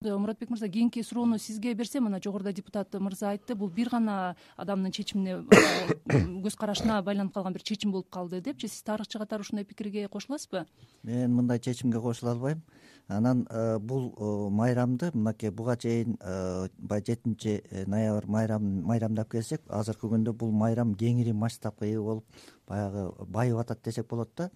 Муратбек мырза, кийинки суроону сизге берсем, мына жогоруда депутат мырза айтты, бул бир гана адамдын чечимине көз карашына байланып калган бир чечим болуп калды депчи. Сиз тарыхчы катары ушундай пикирге кошуласызбы? Мен мындай чечимге кошула албайм. Анан бул майрамды мынакей буга чейин баягы 7 ноябрь майрамдап келсек, азыркы күндө бул майрам кеңири масштабка ээ болуп, баягы байып атат десек болот да.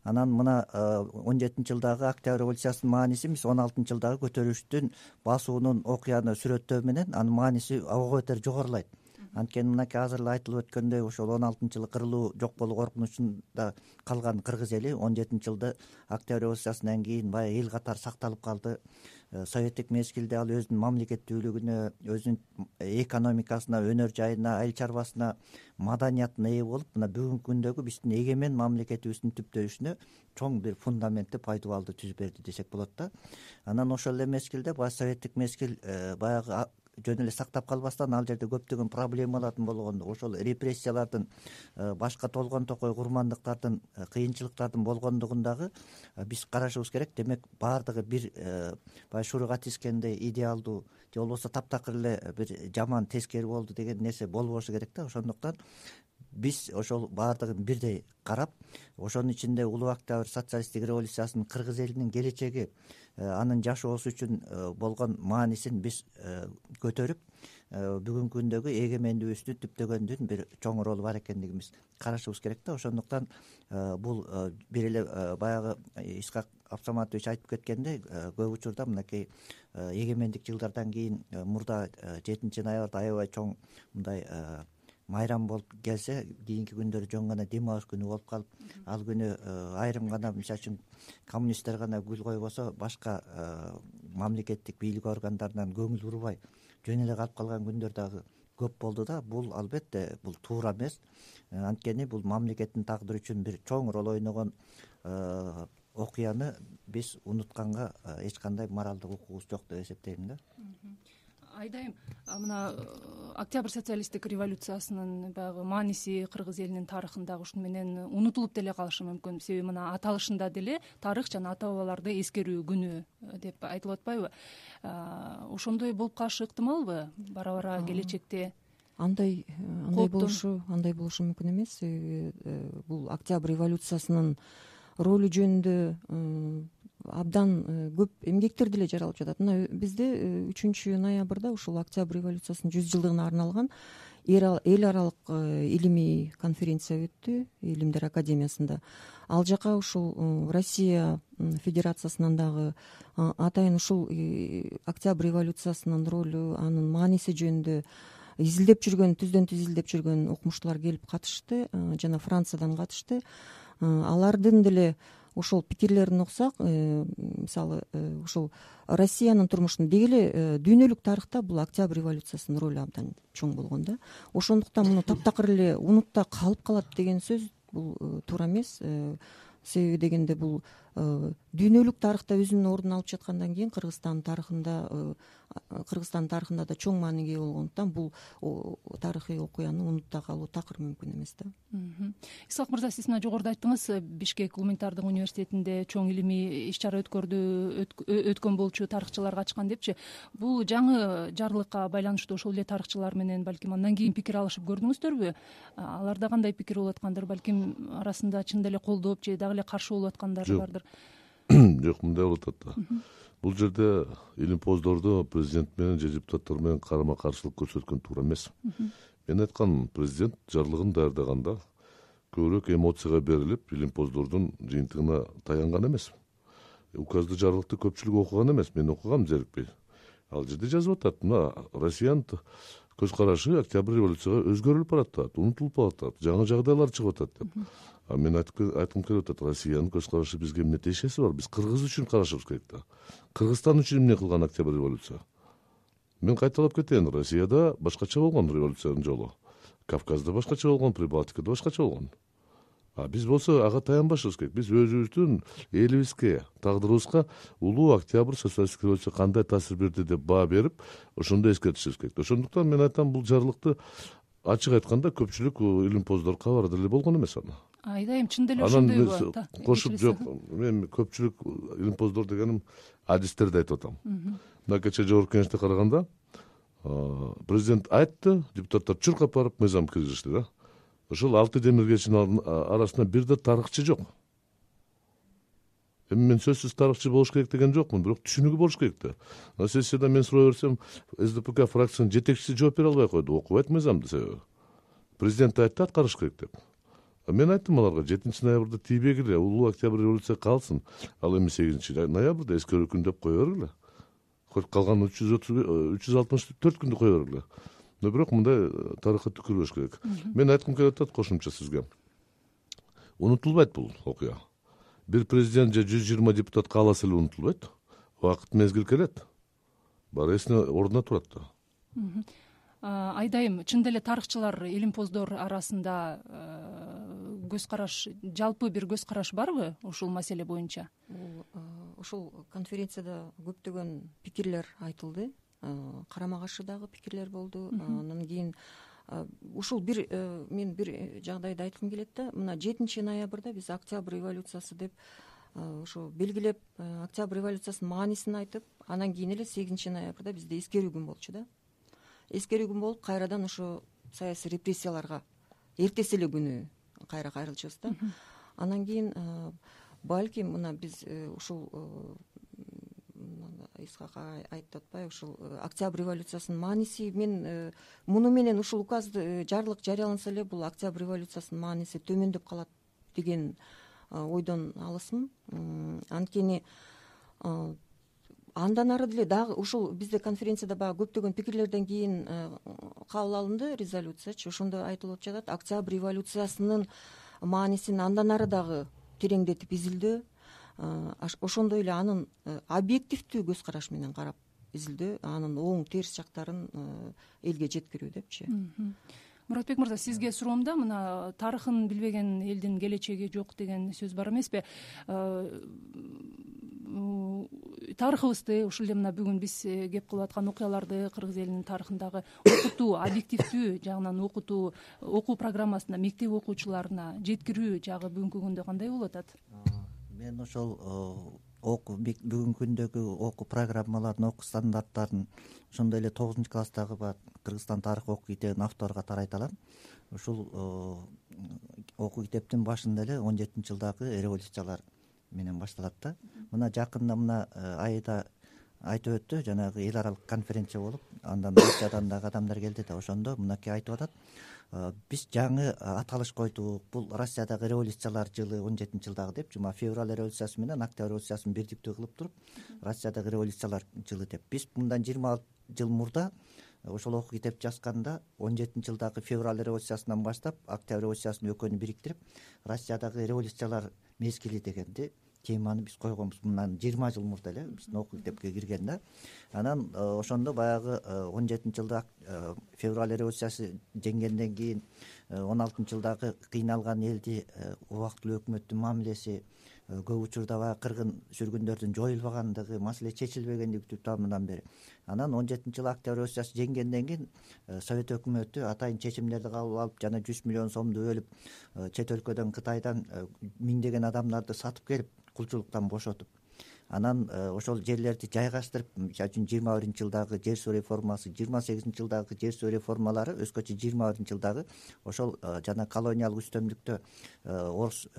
Анан мына 17-жылдагы Октябрь революциясынын мааниси эмес, 16-жылдагы көтөрүлүштүн басуунун окуяны сүрөттөө менен анын мааниси ого бетер жогорулайт. Анткени мынакей азыр эле айтылып өткөндөй, ошол 16-жылы кырылуу жок болуу коркунучунда калган кыргыз эли 17-жылда Октябрь революциясынан кийин баягы эл катары сакталып калды. Советтик мезгилде ал өзүнүн мамлекеттүүлүгүнө, өзүнүн экономикасына, өнөр жайына, айыл чарбасына, маданиятына ээ болуп, мына бүгүнкү күндөгү биздин эгемен мамлекетибиздин түптөлүшүнө чоң бир фундаментти, пайдубалды түзүп берди десек болот да. Анан ошол эле мезгилде баягы советтик мезгил баягы жөн эле сактап калбастан, ал жерде көптөгөн проблемалардын болгондугу, ошол репрессиялардын, башка толгон токой курмандыктардын, кыйынчылыктардын болгондугун дагы биз карашыбыз керек. Демек баардыгы бир баягы шуруга тискендей идеалдуу же болбосо таптакыр эле бир жаман тескери болду деген нерсе болбошу керек да. Ошондуктан биз ошол баардыгын бирдей карап, ошонун ичинде улуу Октябрь социалисттик революциясынын кыргыз элинин келечеги, анын жашоосу үчүн болгон маанисин биз көтөрүп, бүгүнкү күндөгү эгемендүүлүгүбүздү түптөгөндүн бир чоң ролу бар экендигин биз карашыбыз керек да. Ошондуктан бул бир эле баягы Исхак Абсаматович айтып кеткендей, көп учурда мынакей эгемендик жылдардан кийин мурда 7-ноябрда аябай чоң мындай майрам болуп келсе, кийинки күндөрү жөн гана дем алыш күнү болуп калып, ал күнү айрым гана, мисалы үчүн коммунисттер гана гүл койбосо, башка мамлекеттик бийлик органдарынан көңүл бурбай жөн эле калып калган күндөр дагы көп болду да. Бул албетте бул туура эмес. Анткени бул мамлекеттин тагдыры үчүн бир чоң роль ойногон окуяны биз унутканга эч кандай моралдык укугубуз жок деп эсептейм да. Айдайым, мына Октябрь социалисттик революциясынын баягы мааниси кыргыз элинин тарыхындагы ушуну менен унутулуп деле калышы мүмкүн. Себеби мына аталышында деле тарых жана ата бабаларды эскерүү күнү деп айтылып атпайбы? Ошондой болуп калышы ыктымалбы бара келечекте? Андай болушу мүмкүн эмес. Бул Октябрь революциясынын ролу жөнүндө абдан көп эмгектер деле жаралып жатат. Мына бизде 3-ноябрда ушул Октябрь революциясынын 100-жылдыгына арналган эл аралык илимий конференция өттү Илимдер академиясында. Ал жака ушул Россия Федерациясынан дагы атайын ушул Октябрь революциясынын ролу, анын мааниси жөнүндө түздөн түз изилдеп жүргөн окумуштуулар келип катышты, жана Франциядан катышты. Алардын деле ошол пикирлерин уксак, мисалы ушул Россиянын турмушунда деги эле дүйнөлүк тарыхта бул Октябрь революциясынын ролу абдан чоң болгон да. Ошондуктан муну таптакыр эле унутта калып калат деген сөз бул туура эмес. Себеби дегенде бул дүйнөлүк тарыхта өзүнүн ордун алып жаткандан кийин Кыргызстандын тарыхында да чоң мааниге ээ болгондуктан бул тарыхый окуяны унутта калуу такыр мүмкүн эмес да. Исхак мырза, сиз мына жогоруда айттыңыз, Бишкек гуманитардык университетинде чоң илимий иш-чара өткөн болчу тарыхчылар катышкан депчи. Бул жаңы жарлыкка байланыштуу ошол эле тарыхчылар менен балким андан кийин пикир алышып көрдүңүздөрбү? Аларда кандай пикир болуп аткандыр? Балким арасында чын деле колдоп же дагы эле каршы болуп аткандар бардыр? Жок, мындай болуп атат да. Бул жерде илимпоздордо президент менен же депутаттар менен карама каршылык көрсөткөн туура эмес. Мен айткан, президент жарлыгын даярдаганда көбүрөөк эмоцияга берилип, илимпоздордун жыйынтыгына таянган эмес. Указды, жарлыкты көпчүлүк окуган эмес. Мен окугам зерикпей. Ал жерде жазып атат, мына Россиянын көз карашы Октябрь революцияга өзгөрүлүп баратат, унутулуп баратат, жаңы жагдайлар чыгып атат деп. Мен айткым келип атат, Россиянын көз карашы бизге эмне тиешеси бар? Биз Кыргыз үчүн карашыбыз керек да. Кыргызстан үчүн эмне кылган Октябрь революция? Мен кайталап кетейин, Россияда башкача болгон революциянын жолу. Кавказда башкача болгон, Прибалтикада башкача болгон. Биз болсо ага таянбашыбыз керек. Биз өзүбүздүн элибизге, тагдырыбызга улуу Октябрь социалисттик революция кандай таасир берди деп баа берип, ошондо эскертишибиз керек. Ошондуктан мен айтам, бул жарлыкты ачык айтканда көпчүлүк илимпоздор кабар деле болгон эмес аны. Айдайым, чын деле ошондойбу? Кошуп жок, мен көпчүлүк илимпоздор дегеним адистерди айтып атам. мына кечээ жогорку кеңеште караганда президент айтты, депутаттар чуркап барып мыйзам киргизишти да. Ошол 6 демиргечинин арасында бир да тарыхчы жок. Эми мен сөзсүз тарыхчы болуш керек деген жокмун, бирок түшүнүгү болуш керек да. Сессияда мен сурай берсем, СДПК фракциянын жетекчиси жооп бере албай койду, окубайт мыйзамды себеби. Президент айтты аткарыш керек деп. Мен айттым аларга 7 ноябрда тийбегиле, улуу октябрь революция калсын. Ал эми 8 ноябрда эскерүү күн деп кое бергиле. Калган 364 күндү кое бергиле. Но бирок мындай тарыхка түкүрбөш керек. Мен айткым келип атат кошумча сизге. Унутулбайт бул окуя. Бир президент же 120 депутат кааласа эле унутулбайт. Убакыт мезгил келет. Баары эсине ордуна турат да. Айдайым чын деле тарыхчылар, илимпоздор арасында көз караш, жалпы бир көз караш барбы ушул маселе боюнча? Ушул конференцияда көптөгөн пикирлер айтылды, карама каршы дагы пикирлер болду. Андан кийин ушул мен бир жагдайды айткым келет да. Мына 7 ноябрда биз октябрь революциясы деп ошо белгилеп, октябрь революциясынын маанисин айтып, андан кийин эле 8 ноябрда бизде эскерүү күн болчу да. Эскерүү күн болуп, кайрадан ошо саясий репрессияларга эртеси эле күнү кайра кайрылчубуз да. Андан кийин балким мына биз ушул Исхак айтып атпайбы, ушул октябрь революциясынын мааниси, мен муну менен ушул указды жарлык жарыяланса эле бул октябрь революциясынын мааниси төмөндөп калат деген ойдон алысмын. Анткени андан ары деле дагы ушул бизде конференцияда баягы көптөгөн пикирлерден кийин кабыл алынды резолюциячы. Ошондо айтылып жатат, октябрь революциясынын маанисин андан ары дагы тереңдетип изилдөө, ошондой эле анын объективдүү көз караш менен карап изилдөө, анын оң терс жактарын элге жеткирүү депчи. Муратбек мырза, сизге суроомда мына тарыхын билбеген элдин келечеги жок деген сөз бар эмеспи? Тарыхыбызды, ушул эле мына бүгүн биз кеп кылып аткан окуяларды кыргыз элинин тарыхындагы окутуу, объективдүү жагынан окутуу, окуу программасына мектеп окуучуларына жеткирүү жагы бүгүнкү күндө кандай болуп атат? Мен ошол бүгүнкү күндөгү окуу программаларын, окуу стандарттарын ошондой эле 9 класстагы Кыргызстан тарыхы окуу китебин автору катары айта алам. Ушул окуу китептин башында эле 17-жылдагы революциялар менен башталат да. Мына жакында мына айда айтып өттү, жанагы эл аралык конференция болуп, андан Россиядан дагы адамдар келди да, ошондо мынакей айтып атат. Биз жаңы аталыш койдук. Бул Россиядагы революциялар жылы 17-жылдагы деп, жума февраль революциясы менен октябрь революциясын бирдиктүү кылып туруп, Россиядагы революциялар жылы деп. Биз мындан 20 жыл мурда ошол окуу китеп жазганда 17-жылдагы февраль революциясынан баштап октябрь революциясын экөөнү бириктирип, Россиядагы революциялар мезгили дегенди теманы биз койгонбуз. Мындан 20 жыл мурда эле биздин окуу китепке кирген да. Анан ошондо баягы 17-жылда февраль революциясы жеңгенден кийин 16-жылдагы кыйналган элди убактылуу өкмөттүн мамилеси, көп учурда баягы кыргын сүргүндөрдүн жоюлбагандыгы, маселе чечилбегендиги күтүп тамынан бери. Анан 17-жылы октябрь революциясы жеңгенден кийин Совет өкмөтү атайын чечимдерди кабыл алып, жана 100 миллион сомду бөлүп чет өлкөдөн, Кытайдан миңдеген адамдарды сатып келип, кулчулуктан бошотуп, анан ошол жерлерди жайгаштырып, мисалы үчүн 21-жылдагы жер суу реформасы, 28-жылдагы жер суу реформалары, өзгөчө 21-жылдагы ошол жана колониалдык үстөмдүктө орус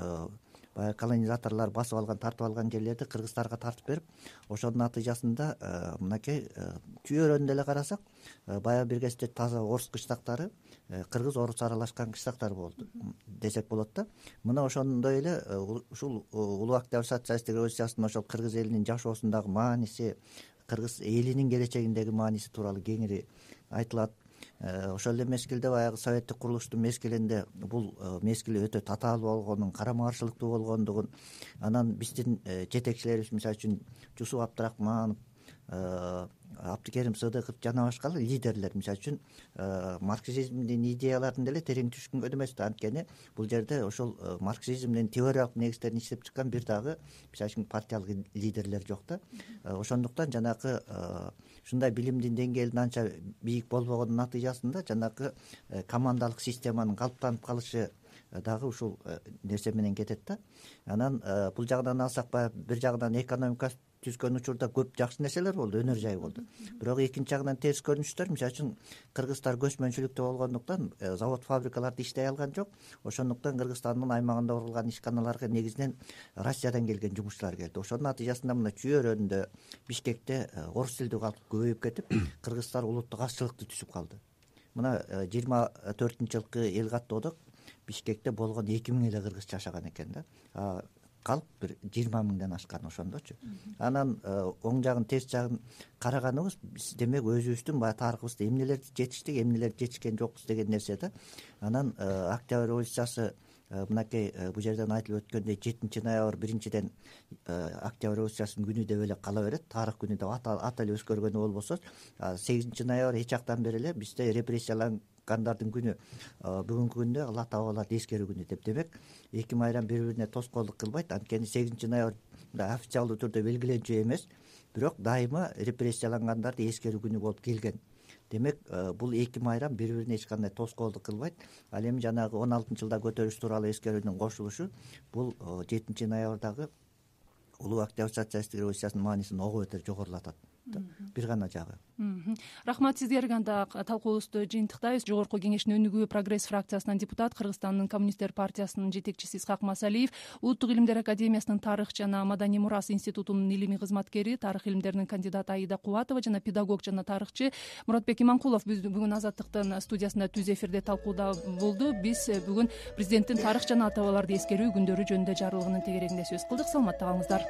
баягы колонизаторлор басып алган, тартып алган жерлерди кыргыздарга тартып берип, ошонун натыйжасында мынакей түйөрөнү эле карасак, баягы бир кезде таза орус кыштактары кыргыз орус аралашкан кыштактар болду десек болот да. Мына ошондой эле ушул улуу октябрь социалисттик революциясынын ошол кыргыз элинин жашоосундагы мааниси, кыргыз элинин келечегиндеги мааниси тууралуу кеңири айтылат. Ошол эле мезгилде баягы советтик курулуштун мезгилинде бул мезгил өтө татаалуу болгонун, карама каршылыктуу болгондугун, анан биздин жетекчилерибиз, мисалы үчүн Жусуп Абдрахманов, Абдыкерим Сыдыков жана башка лидерлер, мисалы үчүн марксизмдин идеяларын деле терең түшүнгөн эмес да. Анткени бул жерде ошол марксизмдин теориялык негиздерин иштеп чыккан бир дагы, мисалы үчүн партиялык лидерлер жок да. Ошондуктан жанагы ушундай билимдин деңгээлинин анча бийик болбогонун натыйжасында жанагы командалык системанын калыптанып калышы дагы ушул нерсе менен кетет да. Анан бул жагынан алсак, баягы бир жагынан экономика түзгөн учурда көп жакшы нерселер болду, өнөр жай болду. Бирок экинчи жагынан терс көрүнүштөр, мисалы үчүн кыргыздар көчмөнчүлүктө болгондуктан завод фабрикалар иштей алган жок. Ошондуктан Кыргызстандын аймагында курулган ишканаларга негизинен Россиядан келген жумушчулар келди. Ошонун натыйжасында мына Чүй өрөөнүндө, Бишкекте орус тилдүү калк көбөйүп кетип, кыргыздар улуттук азчылыкты түзүп калды. Мына 24-жылкы эл каттоодо Бишкекте болгон 2000 эле кыргыз жашаган экен да. Калк бир 20 миңден ашкан ошондочу. Анан оң жагын, терс жагын караганыбыз биз демек өзүбүздүн баягы тарыхыбызда эмнелерди жетиштик, эмнелерди жетишкен жокпуз деген нерсе да. Анан Октябрь революциясы мынакей бул жерден айтылып өткөндөй 7-ноябрь биринчиден Октябрь революциясынын күнү деп эле кала берет, тарых күнү деп аталып өскөргөнү болбосо, 8-ноябрь эч жактан бери эле бизде репрессиялангандардын күнү, бүгүнкү күндө Алла таалаларды эскерүү күнү деп. Демек 2 майрам бири-бирине тоскоолдук кылбайт. Анткени 8-ноябрь официалдуу түрдө белгиленчү эмес, бирок дайыма репрессиялангандарды эскерүү күнү болуп келген. Демек бул 2 майрам бири-бирине эч кандай тоскоолдук кылбайт. Ал эми жанагы 16-жылда көтөрүлүш тууралуу эскерүүнүн кошулушу бул 7-ноябрдагы улуу Октябрь социалисттик революциясынын маанисин ого бетер жогорулатат. Бир гана жагы. Рахмат сизге. Анда талкуубузду жыйынтыктайбыз. Жогорку кеңештин өнүгүү Прогресс фракциясынан депутат, Кыргызстандын коммунисттер партиясынын жетекчиси Исхак Масалиев, Улуттук илимдер академиясынын тарых жана маданий мурас институтунун илимий кызматкери, тарых илимдеринин кандидаты Аида Кубатова жана педагог жана тарыхчы Муратбек Иманкулов бүгүн Азаттыктын студиясында түз эфирде талкууда болду. Биз бүгүн президенттин тарых жана ата бабаларды эскерүү күндөрү жөнүндө жарлыгынын тегерегинде сөз кылдык. Саламатта калыңыздар.